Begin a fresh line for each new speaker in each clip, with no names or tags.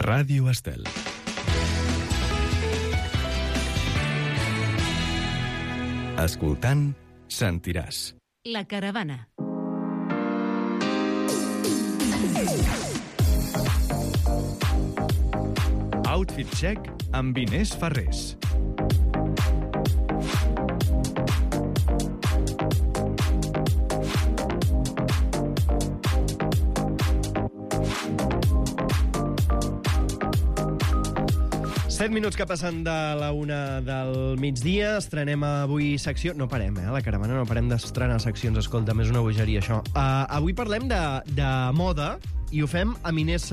Ràdio Estel. Escoltant, sentiràs.
La caravana.
Outfit check amb Inés Ferrés.
Set minuts que passen de la 1 del migdia. Estrenem avui secció... No parem, la caravana, no parem d'estrenar seccions. Escolta, és una bogeria, això. Avui parlem de moda i ho fem amb Inés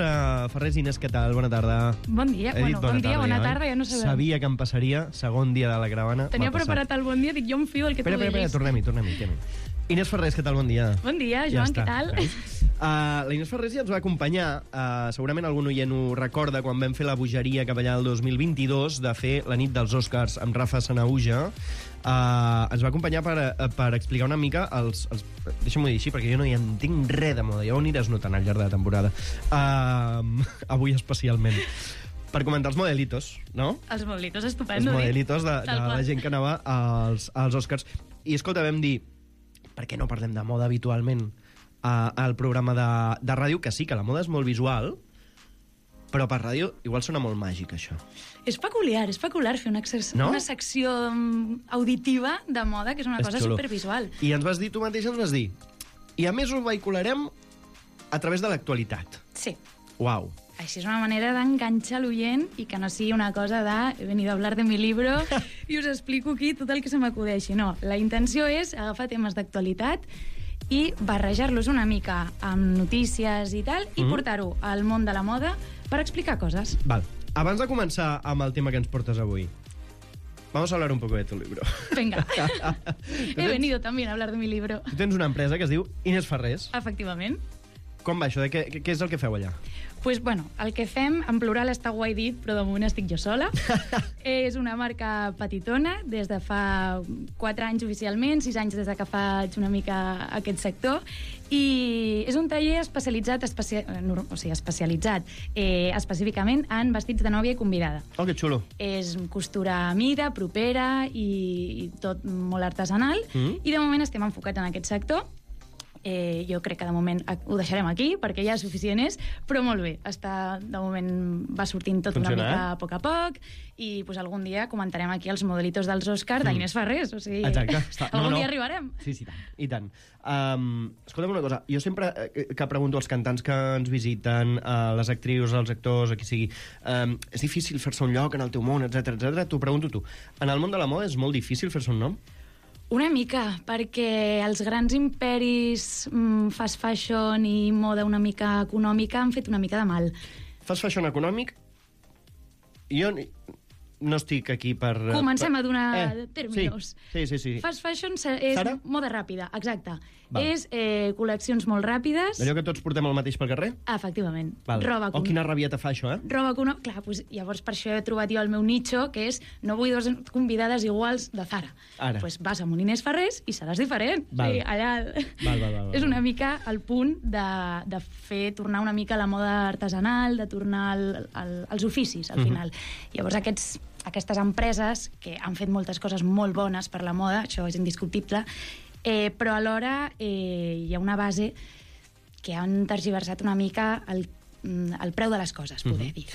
Ferrés. Inés, què tal? Bona tarda.
Bon dia, bona tarda, ja no sabem.
Sabia que em passaria, segon dia de la caravana.
Tenia preparat el bon dia, dic, jo em fio del que tu diguis.
Espera, tornem-hi. Inés Ferrés, què tal? Bon dia.
Bon dia, Joan, què tal?
La Inés Ferrés ja ens va acompanyar, segurament algun oient ho recorda, quan vam fer la bogeria cap allà el 2022 de fer la nit dels Oscars amb Rafa Sanahuja. Ens va acompanyar per explicar una mica deixa'm-ho dir així, perquè jo no hi entenc res de moda, ja ho aniràs notant al llarg de la temporada, avui especialment, per comentar els modelitos, no?
Els modelitos, estupendo.
Els modelitos de la gent que anava als Oscars. I escolta, vam dir, per què no parlem de moda habitualment al programa de ràdio? Que sí, que la moda és molt visual, però per ràdio igual sona molt màgic, això.
És peculiar fer una secció auditiva de moda, que és una cosa supervisual.
I tu mateix ens vas dir, i a més ho vehicularem a través de l'actualitat.
Sí.
Uau.
Així és una manera d'enganxar l'oient i que no sigui una cosa de he venido a hablar de mi libro i us explico aquí tot el que se m'acudeixi. No, la intenció és agafar temes d'actualitat i barrejar-los una mica amb notícies i tal, i portar-ho al món de la moda per explicar coses.
Val. Abans de començar amb el tema que ens portes avui, vamos a hablar un poco de tu libro.
Venga. He venido también a hablar de mi libro.
Tu tens una empresa que es diu Inés Ferrés.
Efectivament.
Com va això? Què és el que feu allà?
Pues, bueno, el que fem, en plural està guai dit, però de moment estic jo sola. És una marca petitona, des de fa 4 anys oficialment, 6 anys des de que faig una mica aquest sector, i és un taller especialitzat específicament en vestits de nòvia i convidada.
Oh, que xulo.
És costura a mida, propera i tot molt artesanal, i de moment estem enfocats en aquest sector. Jo crec que de moment ho deixarem aquí perquè ja és suficient, però molt bé, de moment va sortint tot una mica a poc a poc, i pues, algun dia comentarem aquí els modelitos dels Oscars d'Inés Ferrés, o sigui, algun dia arribarem.
Sí, i tant. Escolta'm una cosa, jo sempre que pregunto als cantants que ens visiten, a les actrius, als actors, a qui sigui, és difícil fer-se un lloc en el teu món, etc. T'ho pregunto tu. En el món de la moda és molt difícil fer-se un nom?
Una mica, perquè els grans imperis fast fashion i moda una mica econòmica han fet una mica de mal.
Fast fashion econòmic? Jo no estic aquí per...
Comencem a donar términos.
Sí.
Fast fashion és
Sara?
moda ràpida, exacte.
Val.
És col·leccions molt ràpides.
Allò que tots portem el mateix pel carrer?
Efectivament.
Val. Quina rabieta fa això,
Roba econòmica. Clar, doncs, llavors per això he trobat jo el meu nicho, que és no vull dues convidades iguals de Zara.
Ara.
Doncs vas amb un Inés Ferrés i seràs diferent.
Val.
Sí, allà...
Val.
És una mica el punt de fer tornar una mica la moda artesanal, de tornar als oficis, al final. Llavors aquestes empreses que han fet moltes coses molt bones per la moda, això és indiscutible, però alhora hi ha una base que han tergiversat una mica el preu de les coses, poder dir.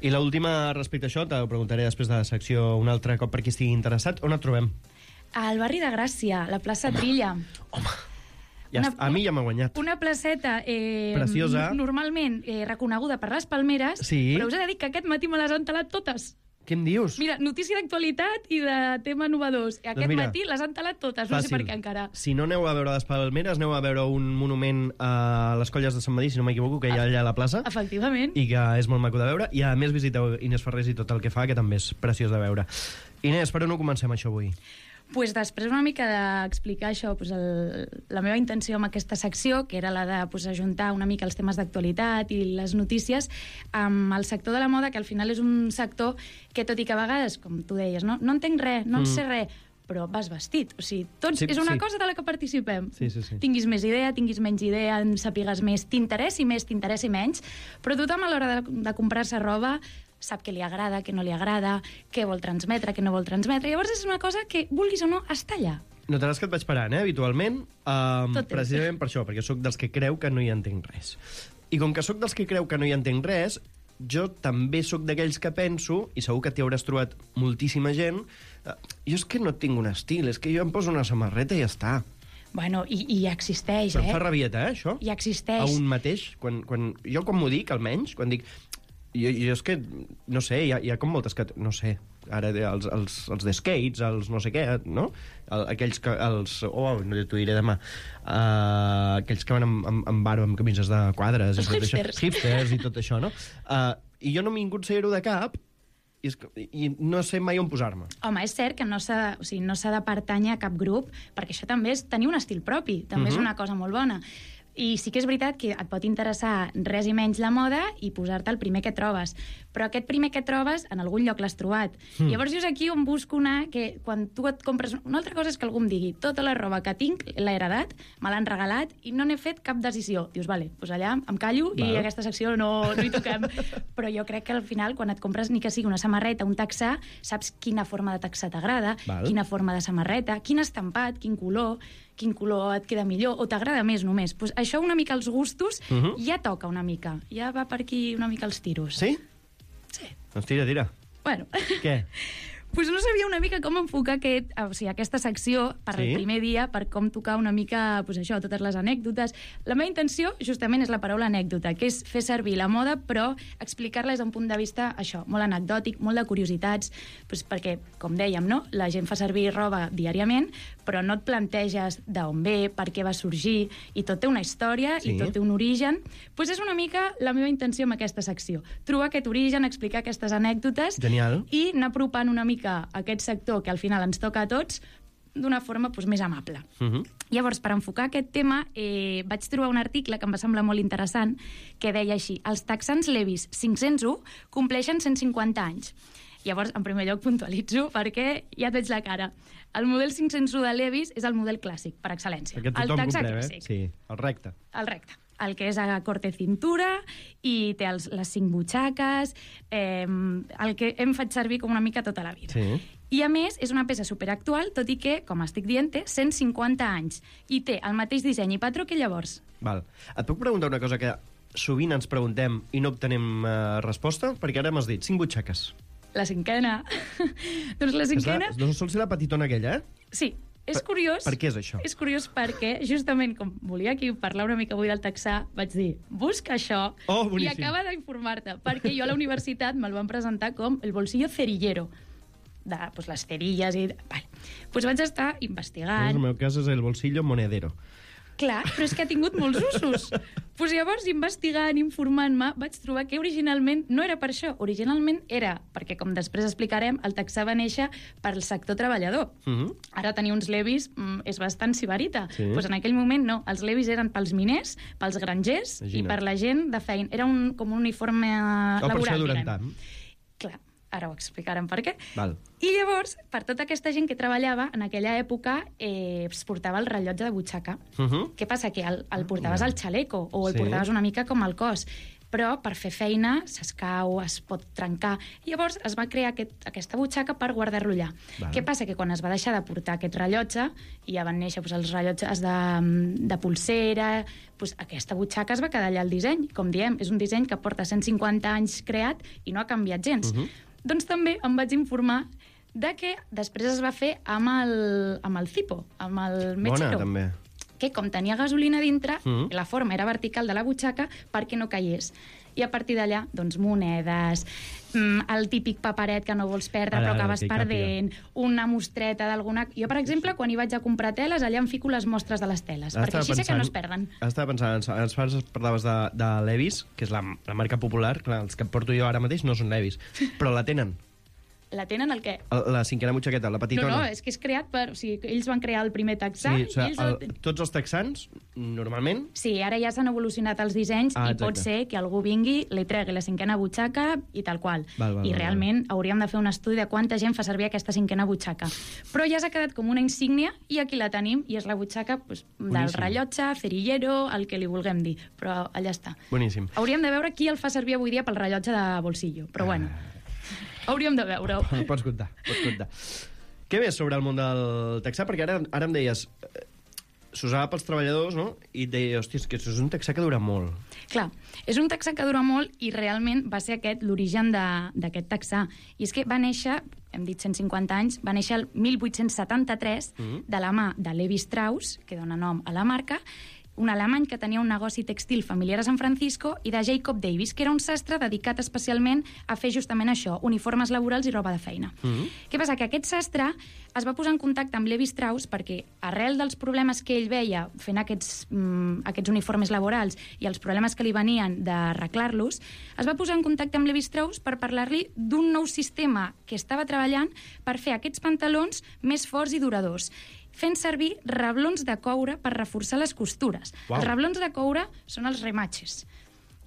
I l'última respecte a això, t'ho preguntaré després de la secció un altre cop per qui estigui interessat. On et trobem?
Al barri de Gràcia, la plaça Trilla.
Home, a mi ja m'ha guanyat.
Una placeta
preciosa,
normalment reconeguda per les palmeres, però us he de dir que aquest matí me les han talat totes.
Què em dius?
Mira, notícia d'actualitat i de tema innovadors. Aquest matí les han talat totes, no sé per què encara.
Si no aneu a veure les palmeres, aneu a veure un monument a les Colles de Sant Madí, si no m'equivoco, que hi ha allà a la plaça.
Efectivament.
I que és molt maco de veure. I a més visiteu Inés Ferrés i tot el que fa, que també és preciós de veure. Inés, per on ho comencem això avui?
Pues després una mica d'explicar això, pues la meva intenció amb aquesta secció, que era la de ajuntar una mica els temes d'actualitat i les notícies amb el sector de la moda, que al final és un sector que, tot i que a vegades, com tu deies, no entenc res, no en sé res, però vas vestit. O sigui, tots és una cosa de la que participem.
Sí.
Tinguis més idea, tinguis menys idea, en sapigues més, t'interessi més, t'interessi menys, però tothom a l'hora de comprar-se roba sap què li agrada, què no li agrada, què vol transmetre, què no vol transmetre. Llavors és una cosa que, vulguis o no, està allà.
Notaràs que et vaig parant, habitualment,
Tot
precisament per això, perquè sóc dels que creu que no hi entenc res. I com que sóc dels que creu que no hi entenc res, jo també sóc d'aquells que penso, i segur que t'hi hauràs trobat moltíssima gent, jo és que no tinc un estil, és que jo em poso una samarreta i ja està.
Bueno, i existeix,
Però em fa rabieta, això?
I existeix.
A un mateix. Jo quan m'ho dic, almenys, quan dic... Jo és que, no sé, hi ha com moltes... No sé, ara els de skates, els no sé què, no? Aquells que... no t'ho diré demà. Aquells que van amb barba, amb camises de quadres.
Els hipsters.
Hipsters i tot això, no? I jo no m'he vingut ser-ho de cap i no sé mai on posar-me.
Home, és cert que no s'ha de pertànyer a cap grup, perquè això també és tenir un estil propi, també és una cosa molt bona. I sí que és veritat que et pot interessar res i menys la moda i posar-te el primer que trobes. Però aquest primer que trobes, en algun lloc l'has trobat. Llavors jo és aquí on busco anar, que quan tu et compres... Una altra cosa és que algú em digui tota la roba que tinc l'he heredat, me l'han regalat i no n'he fet cap decisió. Dius, vale, doncs allà em callo i aquesta secció no hi toquem. Però jo crec que al final, quan et compres ni que sigui una samarreta, un texà, saps quina forma de texà t'agrada, quina forma de samarreta, quin estampat, quin color et queda millor, o t'agrada més només. Pues això una mica els gustos ja toca una mica. Ja va per aquí una mica els tiros.
Sí?
Sí.
Doncs tira.
Bueno.
Què?
Pues no sabia una mica com enfocar aquesta secció per el primer dia, per com tocar una mica totes les anècdotes. La meva intenció, justament, és la paraula anècdota, que és fer servir la moda, però explicar-la des d'un punt de vista, molt anecdòtic, molt de curiositats, perquè, com dèiem, no? La gent fa servir roba diàriament, però no et planteges d'on ve, per què va sorgir, i tot té una història, i tot té un origen. Pues és una mica la meva intenció amb aquesta secció. Trobar aquest origen, explicar aquestes anècdotes.
Genial.
I anar apropant una mica aquest sector que al final ens toca a tots d'una forma més amable. Llavors, per enfocar aquest tema, vaig trobar un article que em va semblar molt interessant que deia així: els texans Levi's 501 compleixen 150 anys. Llavors, en primer lloc, puntualitzo perquè ja et veig la cara. El model 501 de Levi's és el model clàssic, per excel·lència.
Perquè tothom comprem, Sí, el recte.
El recte. El que és a corte cintura i té les 5 butxaques, el que hem fet servir com una mica tota la vida.
Sí.
I, a més, és una peça superactual, tot i que, com estic dient, té 150 anys i té el mateix disseny i patró que llavors.
Val. Et puc preguntar una cosa que sovint ens preguntem i no obtenem resposta? Perquè ara m'has dit 5 butxaques.
La cinquena. Doncs la cinquena...
No sol ser la petitona aquella,
Sí. És curiós...
Per què és això?
És curiós perquè, justament, com volia aquí parlar una mica avui del texà, vaig dir, busca això i acaba d'informar-te, perquè jo a la universitat me'l van presentar com el bolsillo cerillero, de les cerilles i... Vale. Pues vaig estar investigant...
En el meu cas és el bolsillo monedero.
Clar, però és que ha tingut molts usos. Pues llavors, investigant, informant-me, vaig trobar que originalment no era per això. Originalment era perquè, com després explicarem, el texà va néixer pel sector treballador. Ara tenir uns Levi's és bastant sibarita. Pues en aquell moment no. Els Levi's eren pels miners, pels grangers i per la gent de feina. Era com un uniforme laboral.
Per això durant tant.
Clar. Ara ho explicarem per què.
Val.
I llavors, per tota aquesta gent que treballava, en aquella època es portava el rellotge de butxaca. Què passa? Que el portaves al xaleco o el portaves una mica com al cos. Però per fer feina s'escau, es pot trencar. Llavors es va crear aquesta butxaca per guardar-lo allà. Què passa? Que quan es va deixar de portar aquest rellotge, i ja van néixer els rellotges de pulsera, aquesta butxaca es va quedar allà al disseny. Com diem, és un disseny que porta 150 anys creat i no ha canviat gens. Doncs també em vaig informar de que després es va fer amb el Zippo, amb el Mechero.
Bona, també.
Que com tenia gasolina dintre, la forma era vertical de la butxaca perquè no caigués. I a partir d'allà, doncs, monedes, el típic paperet que no vols perdre però acabes perdent, una mostreta d'alguna... Jo, per exemple, quan hi vaig a comprar teles, allà em fico les mostres de les teles, perquè així sé que no es perden.
Estava pensant, abans parlaves de Levi's, que és la marca popular, clar, els que porto jo ara mateix no són Levi's, però la tenen.
La tenen el què?
La cinquena butxaqueta, la petitona.
No, és que és creat per... O sigui, ells van crear el primer texà...
Sí,
i ells
tots els texans, normalment...
Sí, ara ja s'han evolucionat els dissenys i pot ser que algú vingui, li tregui la cinquena butxaca i tal qual. I realment hauríem de fer un estudi de quanta gent fa servir aquesta cinquena butxaca. Però ja s'ha quedat com una insígnia i aquí la tenim, i és la butxaca del rellotge, cerillero, el que li vulguem dir. Però allà està.
Boníssim.
Hauríem de veure qui el fa servir avui dia pel rellotge de bolsillo. Però bueno... Hauríem de veure-ho.
Pots comptar. Què més sobre el món del texà? Perquè ara em deies... S'usava pels treballadors, no? I et deia, hòstia, que això és un texà que dura molt.
Clar, és un texà que dura molt i realment va ser aquest l'origen d'aquest texà. I és que va néixer, hem dit 150 anys, va néixer el 1873 de la mà de Levi Strauss, que dona nom a la marca, un alemany que tenia un negoci textil familiar a San Francisco, i de Jacob Davis, que era un sastre dedicat especialment a fer justament això, uniformes laborals i roba de feina. Què passa? Que aquest sastre es va posar en contacte amb Levi Strauss perquè, arrel dels problemes que ell veia fent aquests uniformes laborals i els problemes que li venien d'arreglar-los, es va posar en contacte amb Levi Strauss per parlar-li d'un nou sistema que estava treballant per fer aquests pantalons més forts i duradors, fent servir reblons de coure per reforçar les costures. Els reblons de coure són els rematxes,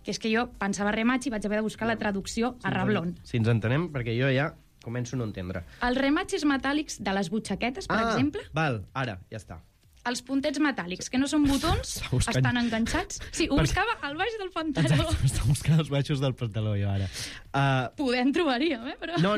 que és que jo pensava rematx i vaig haver de buscar la traducció a reblon.
Si ens entenem, perquè jo ja començo a no entendre.
Els rematxes metàl·lics de les butxaquetes, per exemple...
Val, ara, ja està.
Els puntets metàl·lics, que no són botons, estan enganxats. Sí, ho buscava al baix del pantaló.
Exacte, està buscant els baixos del pantaló, jo, ara.
Podem trobaríem, però...
No,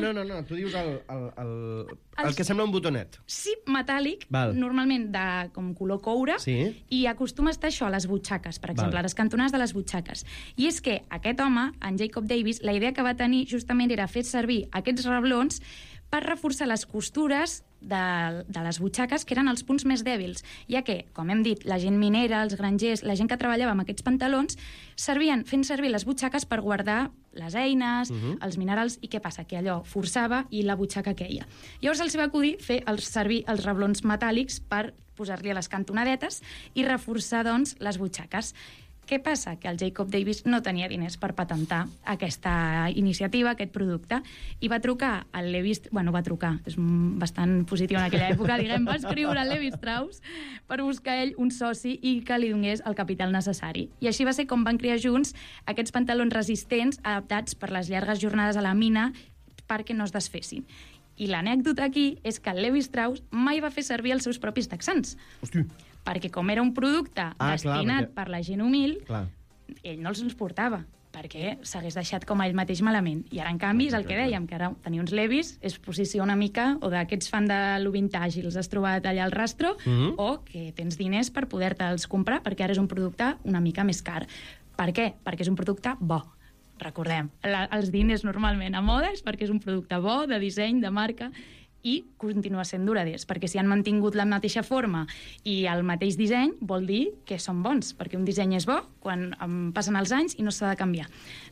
tu dius el que sembla un botonet.
Sí, metàl·lic, normalment de com color coure, i acostuma a estar això a les butxaques, per exemple, a les cantonades de les butxaques. I és que aquest home, en Jacob Davis, la idea que va tenir justament era fer servir aquests reblons per reforçar les costures de les butxaques, que eren els punts més dèbils, ja que, com hem dit, la gent minera, els grangers, la gent que treballava amb aquests pantalons, fent servir les butxaques per guardar les eines, els minerals, i què passa? Que allò forçava i la butxaca queia. Llavors els va acudir fer servir els reblons metàl·lics per posar-li a les cantonadetes i reforçar, doncs, les butxaques. Què passa? Que el Jacob Davis no tenia diners per patentar aquesta iniciativa, aquest producte, i va trucar al Levi... va trucar, és bastant positiu en aquella època, va escriure al Levi Strauss per buscar ell un soci i que li donés el capital necessari. I així va ser com van crear junts aquests pantalons resistents adaptats per les llargues jornades a la mina perquè no es desfessin. I l'anècdota aquí és que el Levi Strauss mai va fer servir els seus propis texans.
Hosti!
Perquè com era un producte destinat per la gent humil, ell no els portava, perquè s'hagués deixat com a ell mateix malament. I ara, en canvi, és el que dèiem, que ara tenir uns Levis és posició una mica, o d'aquests fan de lo vintage i els has trobat allà al rastro, o que tens diners per poder-te'ls comprar, perquè ara és un producte una mica més car. Per què? Perquè és un producte bo. Recordem, els diners normalment a moda és perquè és un producte bo, de disseny, de marca, i continua sent duraders, perquè si han mantingut la mateixa forma i el mateix disseny, vol dir que són bons, perquè un disseny és bo quan passen els anys i no s'ha de canviar.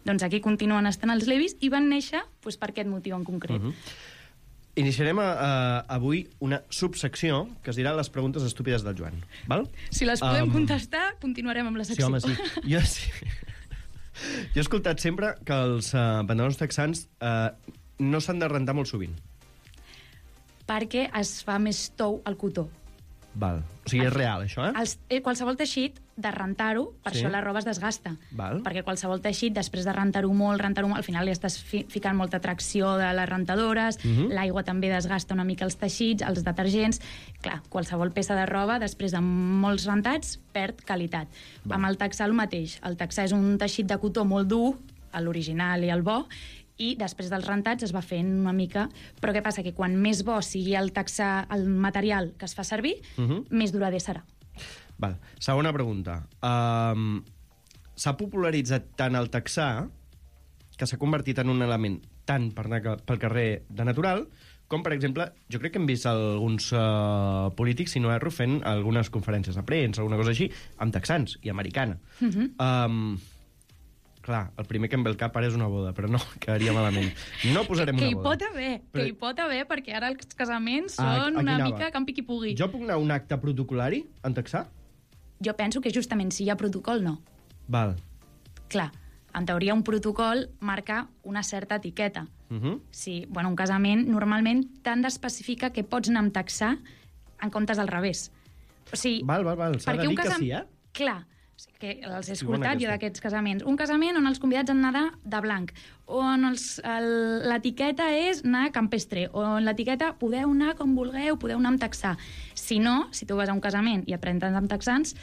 Doncs aquí continuen estant els Levis i van néixer per aquest motiu en concret.
Iniciarem avui una subsecció que es dirà les preguntes estúpides del Joan. Val?
Si les podem contestar, continuarem amb la secció.
Sí, home, sí. Jo he escoltat sempre que els pantalons texans no s'han de rentar molt sovint.
Perquè es fa més tou al cotó.
Val. O sigui, és real, això,
qualsevol teixit, de rentar-ho, per això la roba es desgasta.
Val.
Perquè qualsevol teixit, després de rentar-ho molt, al final li estàs ficant molta tracció de les rentadores, l'aigua també desgasta una mica els teixits, els detergents... Clar, qualsevol peça de roba, després de molts rentats, perd qualitat. Amb el texà el mateix. El texà és un teixit de cotó molt dur, l'original i el bo, i després dels rentats es va fent una mica... Però què passa? Que quan més bo sigui el texà, el material que es fa servir, més durader serà.
Val. Segona pregunta. S'ha popularitzat tant el texà que s'ha convertit en un element tant per anar pel carrer de natural com, per exemple, jo crec que hem vist alguns polítics, si no erro, fent algunes conferències de premsa, alguna cosa així, amb texans i americana. Clar, el primer que em ve al cap ara és una boda, però no, quedaria malament. No posarem una boda.
Que hi pot haver, perquè ara els casaments són una mica campi qui pugui.
Jo puc anar a un acte protocolari en texà?
Jo penso que justament si hi ha protocol, no.
Val.
Clar, En teoria, un protocol marca una certa etiqueta.
Sí,
bueno, un casament normalment t'han d'especificar que pots anar amb taxar en comptes del revés. O sigui,
val. S'ha de dir que sí,
Clar, que els he escoltat jo d'aquests casaments. Un casament on els convidats han d'anar de blanc, on l'etiqueta és anar campestre, on l'etiqueta podeu anar com vulgueu, podeu anar amb taxar. Si no, si tu vas a un casament i et presentes amb texans,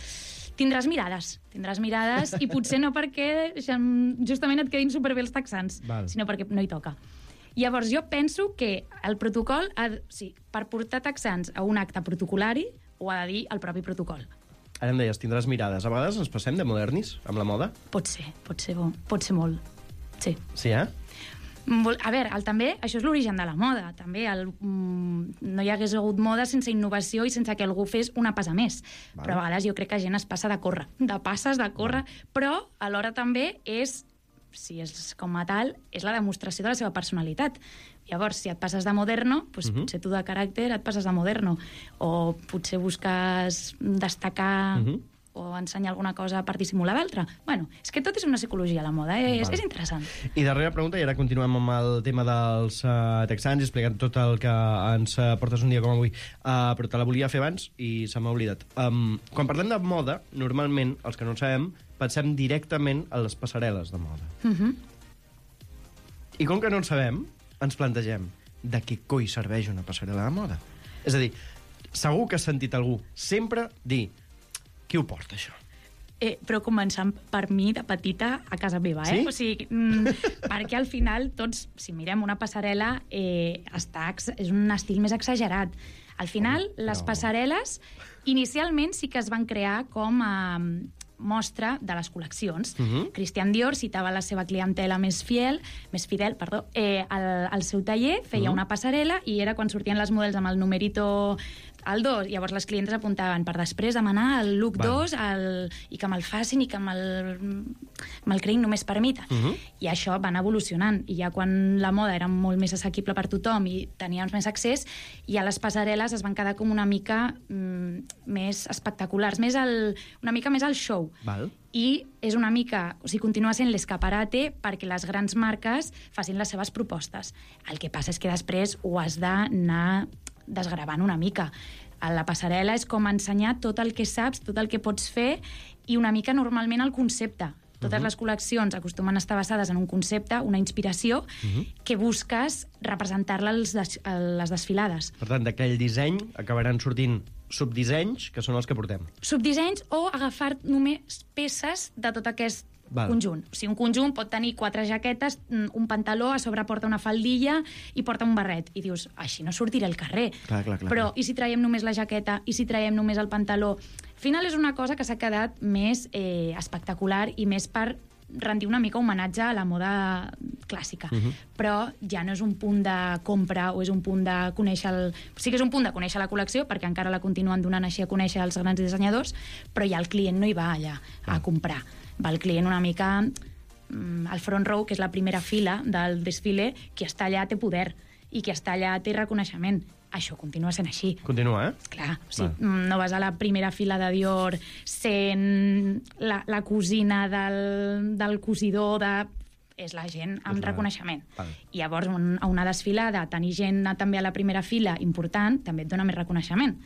tindràs mirades i potser no perquè justament et quedin superbé els texans, sinó perquè no hi toca. Llavors, jo penso que el protocol, per portar texans a un acte protocolari, ho ha de dir el propi protocol.
Ara em deies, tindràs mirades. A vegades ens passem de modernis amb la moda?
Pot ser molt. Sí.
Sí, eh?
A veure, també, això és l'origen de la moda. També no hi hagués hagut moda sense innovació i sense que algú fes una passa més. Però a vegades jo crec que gent es passa de córrer, però alhora també és, si és com a tal, és la demostració de la seva personalitat. Llavors, si et passes de moderno, doncs potser tu de caràcter et passes de moderno. O potser busques destacar o ensenyar alguna cosa per dissimular l'altra. Bueno, és que tot és una psicologia, la moda. És interessant.
I darrera pregunta, i ara continuem amb el tema dels texans, explicant tot el que ens portes un dia com avui, però te la volia fer abans i se m'ha oblidat. Quan parlem de moda, normalment, els que no en sabem, pensem directament a les passarel·les de moda. I com que no en sabem, ens plantegem de què coi serveix una passarel·la de moda. És a dir, segur que has sentit algú sempre dir qui ho porta, això?
Però començant per mi, de petita, a casa meva,
Sí?
O sigui, perquè al final tots, si mirem una passarel·la, és un estil més exagerat. Al final, les passarel·les, inicialment sí que es van crear com a mostra de les col·leccions. Christian Dior citava la seva clientela més fidel, al seu taller, feia una passarel·la i era quan sortien les models amb el numerito al 2, llavors les clientes apuntaven per després demanar el look 2 i que me'l facin i que me'l creïn només per mi. I això van evolucionant. I ja quan la moda era molt més assequible per tothom i teníem més accés, ja les passarel·les es van quedar com una mica més espectaculars, una mica més al show. I és una mica, o sigui, continua sent l'escaparate perquè les grans marques facin les seves propostes. El que passa és que després ho has d'anar desgravant una mica. A la passarel·la és com ensenyar tot el que saps, tot el que pots fer i una mica normalment el concepte. Totes les col·leccions acostumen a estar basades en un concepte, una inspiració, que busques representar-la a les desfilades.
Per tant, d'aquell disseny acabaran sortint subdissenys, que són els que portem.
Subdissenys o agafar només peces de tot aquest conjunt. O sigui, un conjunt pot tenir 4 jaquetes, un pantaló, a sobre porta una faldilla i porta un barret. I dius, així no sortiré al carrer.
Clar.
Però i si traiem només la jaqueta? I si traiem només el pantaló? Al final és una cosa que s'ha quedat més espectacular i més per rendir una mica homenatge a la moda clàssica. Però ja no és un punt de compra o és un punt de conèixer sí que és un punt de conèixer la col·lecció, perquè encara la continuen donant així a conèixer els grans dissenyadors, però ja el client no hi va allà a comprar. Va el client una mica al front row, que és la primera fila del desfile, qui està allà té poder i qui està allà té reconeixement. Això continua sent així.
Continua,
Clar, o sigui, no vas a la primera fila de Dior sent la cosina del cosidor és la gent amb reconeixement. I llavors, a una desfilada, tenir gent també a la primera fila important, també et dona més reconeixement.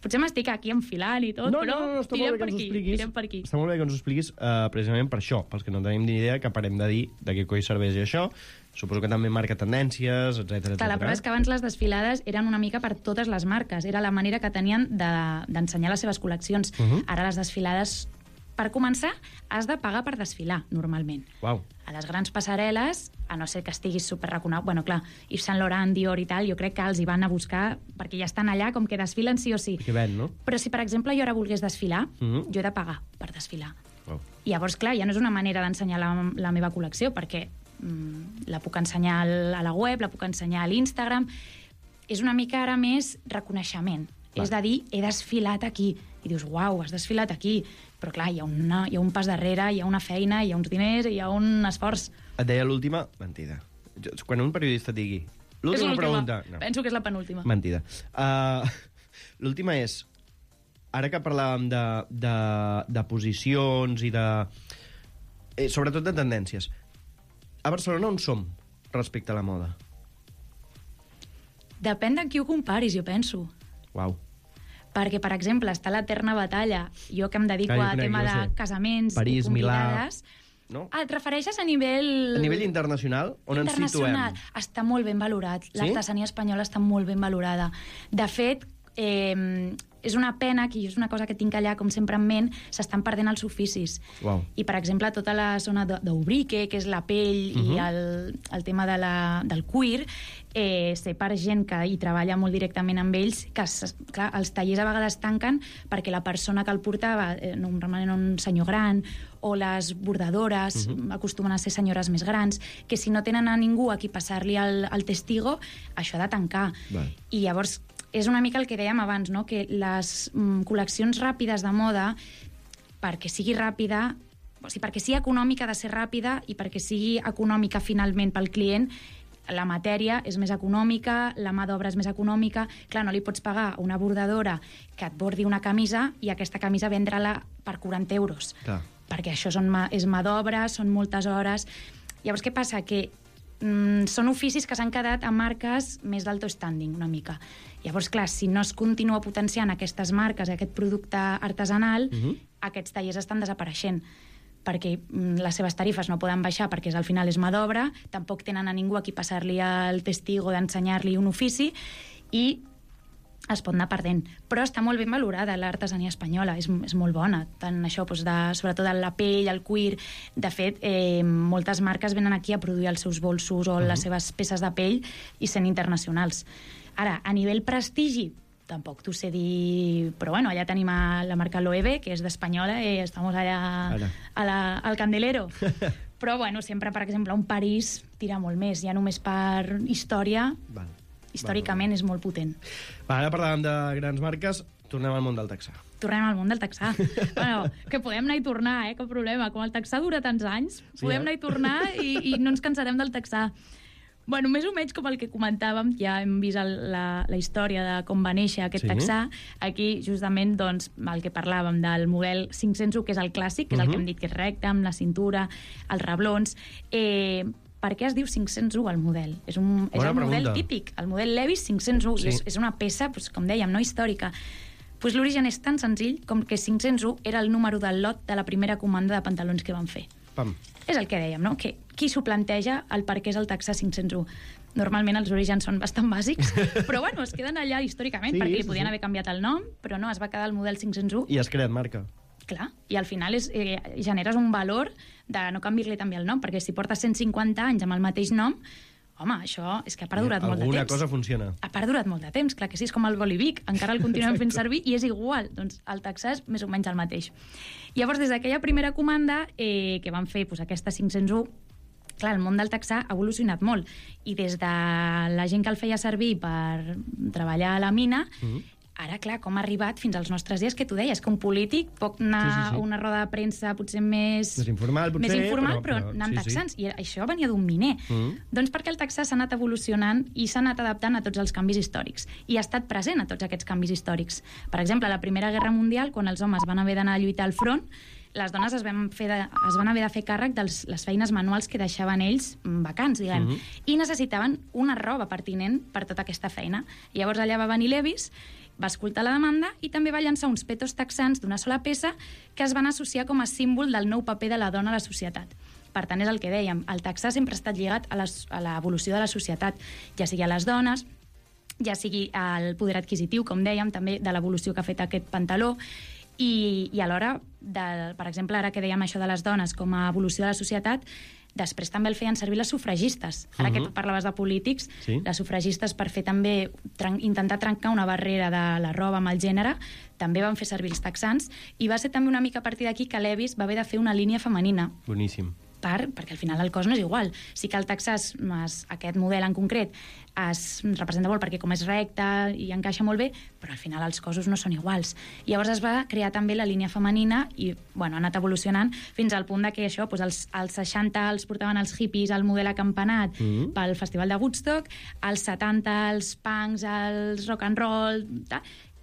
Potser m'estic aquí enfilant i tot, però tirem per aquí.
Està molt bé que ens ho expliquis precisament per això, pels que no tenim ni idea, que parem de dir de què coi serveix això. Suposo que també marca tendències, etc.
La prova és que abans les desfilades eren una mica per totes les marques. Era la manera que tenien d'ensenyar les seves col·leccions. Ara les desfilades, per començar, has de pagar per desfilar, normalment. A les grans passarel·les, a no ser que estiguis superreconegut, bueno, clar, Yves Saint Laurent, Dior i tal, jo crec que els hi van a buscar perquè ja estan allà, com que desfilen sí o sí. Però si, per exemple, jo ara volgués desfilar, jo he de pagar per desfilar. I llavors, clar, ja no és una manera d'ensenyar la meva col·lecció, perquè la puc ensenyar a la web, la puc ensenyar a l'Instagram. És una mica ara més reconeixement. És de dir, he desfilat aquí. I dius, uau, has desfilat aquí. Però clar, hi ha un pas darrere, hi ha una feina, hi ha uns diners, hi ha un esforç.
Et deia l'última, mentida. Quan un periodista et digui l'última pregunta...
Penso que és la penúltima.
Mentida. L'última és, ara que parlàvem de posicions i de... sobretot de tendències. A Barcelona on som respecte a la moda?
Depèn de qui ho comparis, jo penso.
Uau.
Perquè, per exemple, està l'eterna batalla. Jo que em dedico a tema de casaments
París,
i convidades...
Milà... No?
Et refereixes a nivell...
A nivell internacional? On ens situem?
Està molt ben valorat.
Sí?
L'artesania espanyola està molt ben valorada. De fet, és una pena, que és una cosa que tinc allà, com sempre en ment, s'estan perdent els oficis.
Uau.
I, per exemple, tota la zona d'Ubrique, que és la pell i el tema del cuir, sé per gent que hi treballa molt directament amb ells, que, clar, els tallers a vegades tanquen perquè la persona que el portava, normalment un senyor gran, o les bordadores, acostumen a ser senyores més grans, que si no tenen a ningú a qui passar-li el testigo, això ha de tancar.
Val.
I llavors és una mica el que dèiem abans, no? Que les col·leccions ràpides de moda, perquè sigui ràpida, o sigui, perquè sigui econòmica ha de ser ràpida i perquè sigui econòmica finalment pel client, la matèria és més econòmica, la mà d'obra és més econòmica. Clar, no li pots pagar a una bordadora que et bordi una camisa i aquesta camisa vendre-la per 40 euros.
Clar.
Perquè això és mà d'obra, són moltes hores. Llavors, què passa? Que són oficis que s'han quedat a marques més d'alto standing, una mica. Llavors, clar, si no es continua potenciant aquestes marques, aquest producte artesanal, aquests tallers estan desapareixent, perquè les seves tarifes no poden baixar perquè al final és mà d'obra, tampoc tenen a ningú a qui passar-li el testigo d'ensenyar-li un ofici i es pot anar perdent. Però està molt ben valorada l'artesania espanyola, és molt bona, tant això, sobretot la pell, el cuir. De fet, moltes marques venen aquí a produir els seus bolsos o les seves peces de pell i sent internacionals. Ara, a nivell prestigi, tampoc t'ho sé dir, però bueno, allà tenim la marca Loewe, que és d'espanyola, i estamos allà al Candelero. Però bueno, sempre, per exemple, un París tira molt més, ja només per història, històricament és molt potent.
Ara parlàvem de grans marques, tornem al món del texà.
Tornem al món del texà. Bueno, que podem anar i tornar, cap problema. Com el texà dura tants anys, podem anar i tornar i no ens cansarem del texà. Bueno, més o menys com el que comentàvem, ja hem vist la història de com va néixer aquest texà. Aquí, justament, doncs, el que parlàvem del model 501, que és el clàssic, que és el que hem dit que és recte, amb la cintura, els reblons. Per què es diu 501 el model? És el model típic, el model Levi's 501. Sí. És una peça, com dèiem, no històrica. L'origen és tan senzill com que 501 era el número del lot de la primera comanda de pantalons que van fer.
Pam.
És el que dèiem, no? Que qui s'ho planteja el per què és el texà 501? Normalment els orígens són bastant bàsics, però bueno, es queden allà històricament, perquè li podien haver canviat el nom, però no, es va quedar el model 501.
I has creat marca.
Clar, i al final generes un valor de no canviar-li també el nom, perquè si portes 150 anys amb el mateix nom, home, això és que ha perdurat molt de temps.
Alguna cosa funciona.
Ha perdurat molt de temps, clar que sí, és com el Bolivic, encara el continuem fent servir i és igual, doncs el texà és més o menys el mateix. Llavors, des d'aquella primera comanda que van fer aquesta 501, clar, el món del texà ha evolucionat molt, i des de la gent que el feia servir per treballar a la mina, ara, clar, com ha arribat fins als nostres dies, que tu deies, que un polític pot anar a una roda de premsa potser més
informal,
però anant texans. I això venia d'un miner. Doncs perquè el texà s'ha anat evolucionant i s'ha anat adaptant a tots els canvis històrics. I ha estat present a tots aquests canvis històrics. Per exemple, a la Primera Guerra Mundial, quan els homes van haver d'anar a lluitar al front, les dones es van haver de fer càrrec de les feines manuals que deixaven ells vacants, diguem, i necessitaven una roba pertinent per tota aquesta feina. I llavors allà va venir Levi's, va escoltar la demanda i també va llançar uns petos texans d'una sola peça que es van associar com a símbol del nou paper de la dona a la societat. Per tant, és el que dèiem, el texà sempre ha estat lligat a l'evolució de la societat, ja sigui a les dones, ja sigui al poder adquisitiu, com dèiem, també de l'evolució que ha fet aquest pantaló, i alhora, per exemple, ara que dèiem això de les dones com a evolució de la societat, després també el feien servir les sufragistes. Ara que tu parlaves de polítics, les sufragistes, per fer també intentar trencar una barrera de la roba amb el gènere, també van fer servir els texans, i va ser també una mica a partir d'aquí que Levi's va haver de fer una línia femenina.
Boníssim.
Perquè al final el cos no és igual. Sí que el texà, aquest model en concret, es representa molt perquè com és recte i encaixa molt bé, però al final els cossos no són iguals. I llavors es va crear també la línia femenina i ha anat evolucionant fins al punt que això, als 60 els portaven els hippies al model acampanat pel Festival de Woodstock, als 70 els punks, els rock and roll,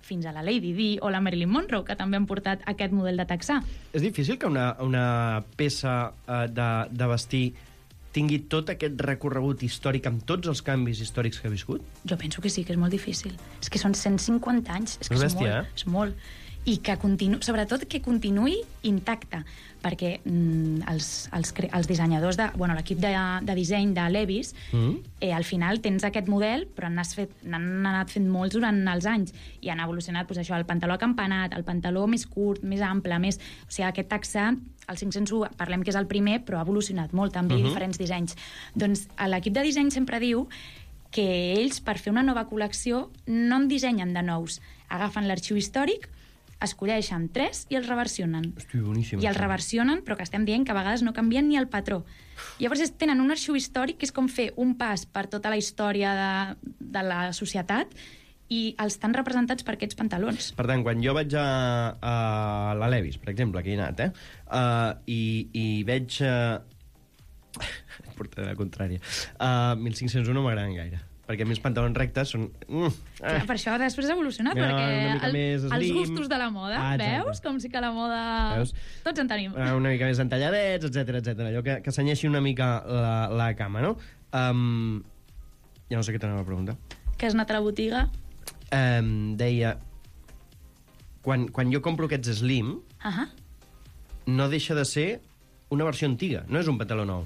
fins a la Lady Di o la Marilyn Monroe, que també han portat aquest model de texà.
És difícil que una peça de vestir tingui tot aquest recorregut històric amb tots els canvis històrics que ha viscut?
Jo penso que sí, que és molt difícil. És que són 150 anys, és que
És
és
bèstia,
molt, és molt. I que sobretot que continuï intacte, perquè els dissenyadors, l'equip de disseny de Levi's, al final tens aquest model, però n'han anat fent molts durant els anys, i han evolucionat això, el pantaló acampanat, el pantaló més curt, més ample, o sigui, aquest texà, el 501, parlem que és el primer, però ha evolucionat molt, també, diferents dissenys. Doncs l'equip de disseny sempre diu que ells, per fer una nova col·lecció, no en dissenyen de nous. Agafen l'arxiu històric, escolleixen 3 i els reversionen.
Hosti, boníssim.
I els reversionen, però que estem dient que a vegades no canvien ni el patró. Llavors tenen un arxiu històric que és com fer un pas per tota la història de la societat i els estan representats per aquests pantalons.
Per tant, quan jo vaig a la Levi's, per exemple, que hi he anat, i veig... Portaré la contrària. 1501 no m'agraden gaire, perquè a mi els pantalons rectes són...
Clar, per això després ha evolucionat, perquè els gustos de la moda, veus? Com si que la moda...
Veus?
Tots en tenim.
Una mica més entalladets, etc. Allò que senyeixi una mica la cama, no? Ja no sé què t'anava a preguntar.
Que has anat a la botiga?
Deia... Quan jo compro aquests slim, no deixa de ser una versió antiga, no és un pantaló nou.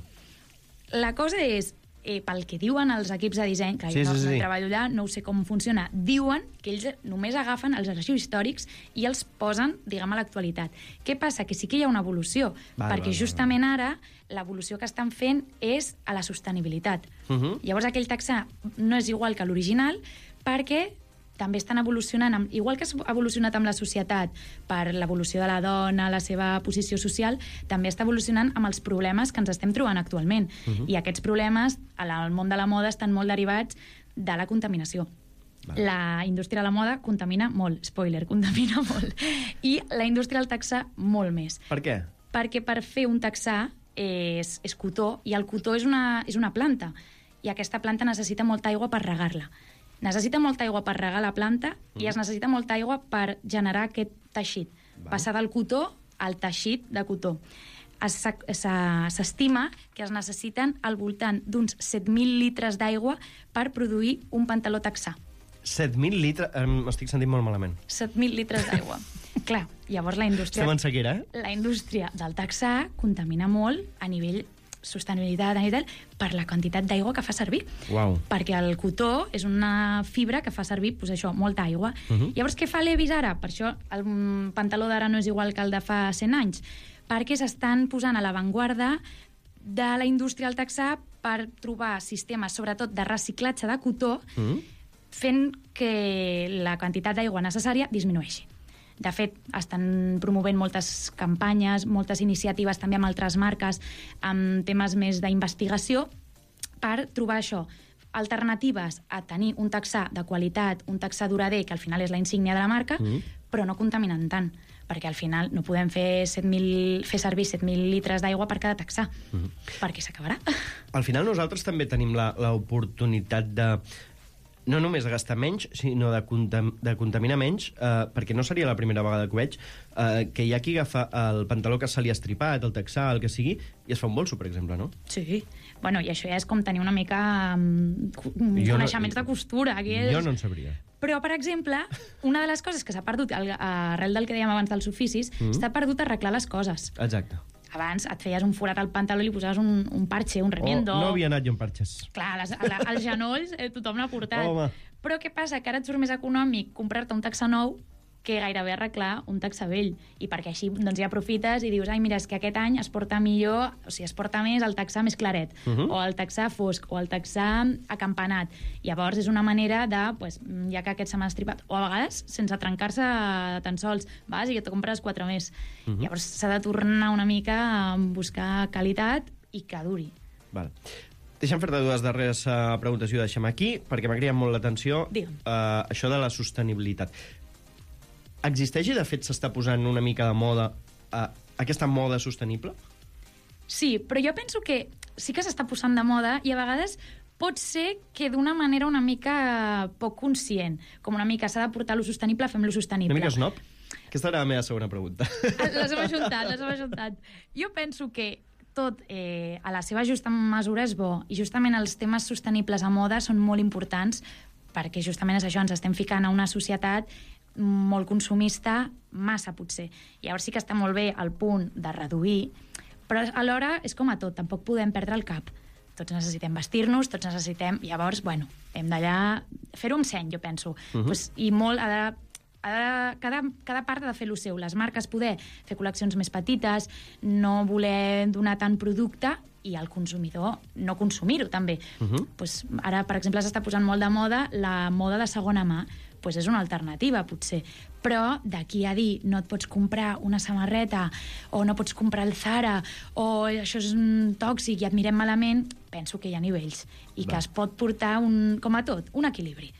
La cosa és, pel que diuen els equips de disseny, que jo no treballo allà, no sé com funciona, diuen que ells només agafen els arxius històrics i els posen, diguem, a l'actualitat. Què passa? Que sí que hi ha una evolució, perquè justament ara l'evolució que estan fent és a la sostenibilitat. Llavors aquell texà no és igual que l'original, perquè també estan evolucionant, igual que ha evolucionat amb la societat per l'evolució de la dona, la seva posició social, també està evolucionant amb els problemes que ens estem trobant actualment. I aquests problemes, al món de la moda, estan molt derivats de la contaminació. La indústria de la moda contamina molt, spoiler, contamina molt. I la indústria del texà, molt més.
Per què?
Perquè per fer un texà és cotó, i el cotó és una planta, i aquesta planta necessita molta aigua per regar-la. Necessita molta aigua per regar la planta i es necessita molta aigua per generar aquest teixit. Passar del cotó al teixit de cotó. S'estima que es necessiten al voltant d'uns 7.000 litres d'aigua per produir un pantaló texà.
7.000 litres? M'estic sentint molt malament.
7.000 litres d'aigua. Clar, llavors la indústria...
Estem en sequera,
La indústria del texà contamina molt a nivell sostenibilitat, per la quantitat d'aigua que fa servir.
Uau.
Perquè el cotó és una fibra que fa servir, molta aigua. Llavors, què fa Levi's ara? Per això el pantaló d'ara no és igual que el de fa 100 anys. Perquè s'estan posant a l'avantguarda de la indústria del texà per trobar sistemes, sobretot de reciclatge de cotó, fent que la quantitat d'aigua necessària disminueixi. De fet, estan promovent moltes campanyes, moltes iniciatives també amb altres marques, amb temes més d'investigació, per trobar això, alternatives a tenir un texà de qualitat, un texà durader, que al final és la insígnia de la marca, però no contaminen tant, perquè al final no podem fer servir 7.000 litres d'aigua per cada texà, perquè s'acabarà.
Al final nosaltres també tenim l'oportunitat de no només de gastar menys, sinó de contaminar menys, perquè no seria la primera vegada que ho veig, que hi ha qui agafa el pantaló que se li ha estripat, el texà, el que sigui, i es fa un bolso, per exemple, no?
Sí. Bueno, i això ja és com tenir una mica coneixements de costura.
Jo no en sabria.
Però, per exemple, una de les coses que s'ha perdut, arrel del que dèiem abans dels oficis, s'ha perdut arreglar les coses.
Exacte.
Abans et feies un forat al pantaló i li posaves un parche, un remiendo...
No havia anat jo amb parxes.
Clar, als genolls tothom n'ha portat.
Home.
Però què passa? Que ara et surt més econòmic comprar-te un texà nou que gairebé arreglar un texà vell. I perquè així doncs, ja aprofites i dius, ai, mira, és que aquest any es porta millor, o sigui, es porta més el texà més claret, o el texà fosc, o el texà acampanat. Llavors és una manera de, ja que aquest se m'ha estripat, o a vegades sense trencar-se tan sols, vas i et compres 4 més. Llavors s'ha de tornar una mica a buscar qualitat i que duri.
Val. Deixa'm fer-te 2 darreres preguntes i ho deixem aquí, perquè m'ha cridat molt l'atenció això de la sostenibilitat. Existeix i, de fet, s'està posant una mica de moda aquesta moda sostenible?
Sí, però jo penso que sí que s'està posant de moda i a vegades pot ser que d'una manera una mica poc conscient, com una mica s'ha de portar lo sostenible, fem lo sostenible.
Una mica snob? Aquesta era la meva segona pregunta.
Les hem ajuntat. Jo penso que tot a la seva justa mesura és bo, i justament els temes sostenibles a moda són molt importants, perquè justament és això, ens estem ficant a una societat molt consumista, massa potser. Llavors sí que està molt bé el punt de reduir, però alhora és com a tot, tampoc podem perdre el cap. Tots necessitem vestir-nos, tots necessitem... Llavors, bueno, hem d'allà fer-ho amb seny, jo penso. Pues, i molt cada part ha de fer lo seu. Les marques poder fer col·leccions més petites, no voler donar tant producte, i el consumidor no consumir-ho, també. Pues, ara, per exemple, s'està posant molt de moda la moda de segona mà. Pues és una alternativa, potser. Però d'aquí a dir no et pots comprar una samarreta o no pots comprar el Zara o això és tòxic i et mirem malament, penso que hi ha nivells i que es pot portar, com a tot, un equilibri.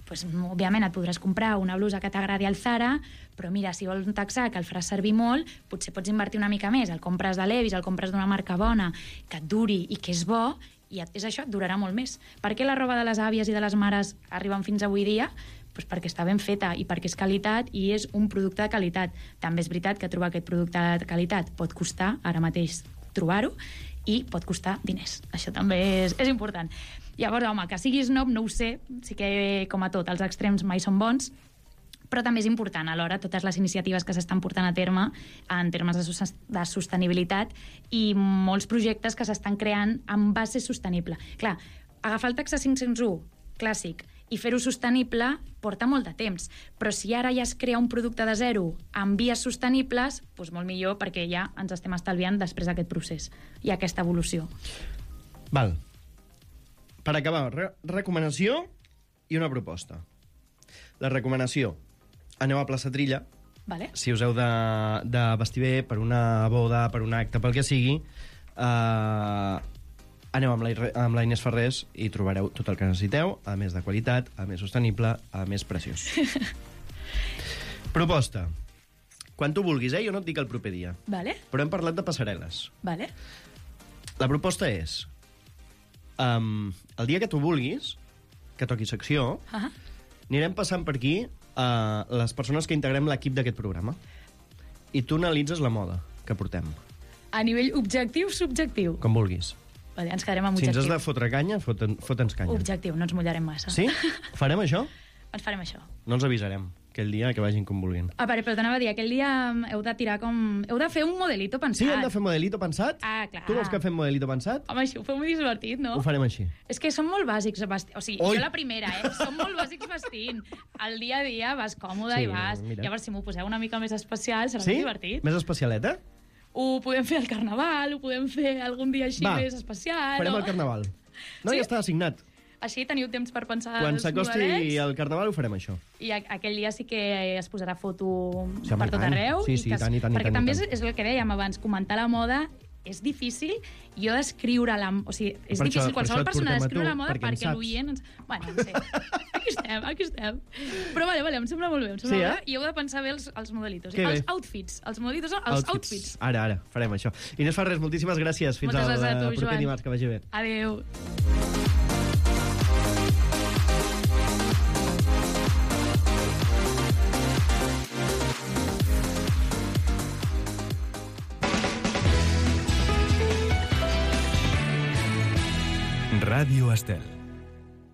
Pues, òbviament et podràs comprar una blusa que t'agradi al Zara, però mira, si vols un texà que el faràs servir molt, potser pots invertir una mica més, el compres de Levi's, el compres d'una marca bona, que et duri i que és bo, i és això, et durarà molt més. Per què la roba de les àvies i de les mares arriben fins avui dia? Pues perquè està ben feta i perquè és qualitat i és un producte de qualitat. També és veritat que trobar aquest producte de qualitat pot costar, ara mateix, trobar-ho, i pot costar diners. Això també és important. Llavors, home, que siguis snob, no ho sé, sí que, com a tot, els extrems mai són bons, però també és important, alhora, totes les iniciatives que s'estan portant a terme en termes de sostenibilitat i molts projectes que s'estan creant en base sostenible. Clar, agafar el taxa 501, clàssic, i fer-ho sostenible porta molt de temps. Però si ara ja es crea un producte de zero amb vies sostenibles, doncs molt millor, perquè ja ens estem estalviant després d'aquest procés i aquesta evolució.
Val. Per acabar, recomanació i una proposta. La recomanació. Aneu a Plaça Trilla.
Vale.
Si us heu de vestir bé per una boda, per un acte, pel que sigui, aneu amb la Inés Ferrés i trobareu tot el que necessiteu, a més de qualitat, a més sostenible, a més preciós. Proposta. Quan tu vulguis, jo no et dic el proper dia.
Vale.
Però hem parlat de passarel·les.
Vale.
La proposta és, el dia que tu vulguis, que toqui secció, anirem passant per aquí les persones que integrem l'equip d'aquest programa. I tu analitzes la moda que portem.
A nivell objectiu, subjectiu?
Com vulguis.
Vale, ens quedarem amb
objectiu. Si
objectiu.
ens has de fotre canya, fota'ns canya.
Objectiu, no ens mullarem massa.
Sí? Farem això?
Ens farem això.
No els avisarem aquell dia que vagin com vulguin.
A veure, però t'anava a dir, aquell dia heu de tirar com... Heu de fer un modelito pensat.
Sí, hem de fer modelito pensat?
Ah, clar.
Tu vols que fem modelito pensat?
Home, això ho feu molt divertit, no?
Ho farem així.
És que són molt bàsics vestint. O sigui,
Oi!
jo la primera, Som molt bàsics vestint. El dia a dia vas còmode i vas...
Mira.
Llavors, si m'ho poseu una mica més especial, serà
Sí?
més divertit.
Més especialeta?
Ho podem fer al Carnaval, ho podem fer algun dia així
Va,
més especial.
farem el Carnaval. No,
Sí?
ja està assignat.
Així teniu temps per pensar
Quan
els
s'acosti
modelets.
el Carnaval ho farem això.
I aquell dia sí que es posarà foto
Sí, home,
per tot
i tant.
arreu.
Sí, sí, i tant, i tant, i
perquè
tant, i
també
tant.
és el que dèiem abans, comentar la moda és difícil, jo descriure la... O sigui, és
Per
difícil
això
qualsevol
et
persona
portem a
descriure
tu,
la moda
perquè en
perquè
saps.
l'oient... Bueno, no sé. Aquí estem. Però vale, em sembla molt bé, em sembla
Sí,
molt bé. I heu de pensar bé els modelitos.
Que bé.
Els outfits. Els modelitos són els outfits.
Ara, farem això. Inés Ferrés, moltíssimes gràcies. Fins
Moltes
al
gràcies a tu,
proper
Joan.
dimarts, que vagi bé.
Adéu.
Ràdio Estel.